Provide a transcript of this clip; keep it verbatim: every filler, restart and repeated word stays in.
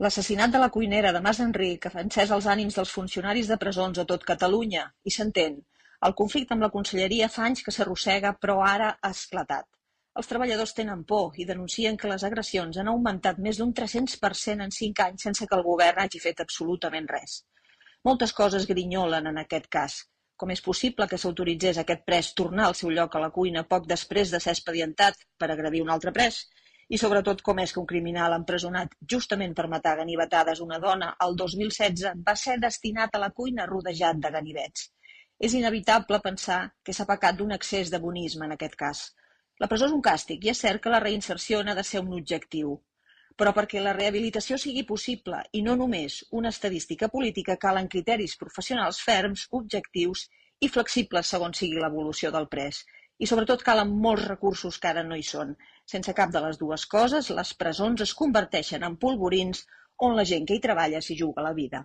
L'assassinat de la cuinera de Mas Enric ha encès els ànims dels funcionaris de presons a tot Catalunya, i s'entén. El conflicte amb la conselleria fa anys que s'arrossega, però ara ha esclatat. Els treballadors tenen por i denuncien que les agressions han augmentat més d'un tres-cents per cent en cinc anys sense que el govern hagi fet absolutament res. Moltes coses grinyolen en aquest cas. Com és possible que s'autoritzés aquest pres tornar al seu lloc a la cuina poc després de ser expedientat per agredir un altre pres? I sobretot com és que un criminal empresonat justament per matar a ganivetades una dona el dos mil setze va ser destinat a la cuina rodejat de ganivets. És inevitable pensar que s'ha pecat d'un excés de bonisme en aquest cas. La presó és un càstig i és cert que la reinserció n'ha de ser un objectiu. Però perquè la rehabilitació sigui possible i no només una estadística política, calen criteris professionals ferms, objectius i flexibles segons sigui l'evolució del pres. I sobretot calen molts recursos que ara no hi són. Sense cap de les dues coses, les presons es converteixen en polvorins on la gent que hi treballa s'hi juga la vida.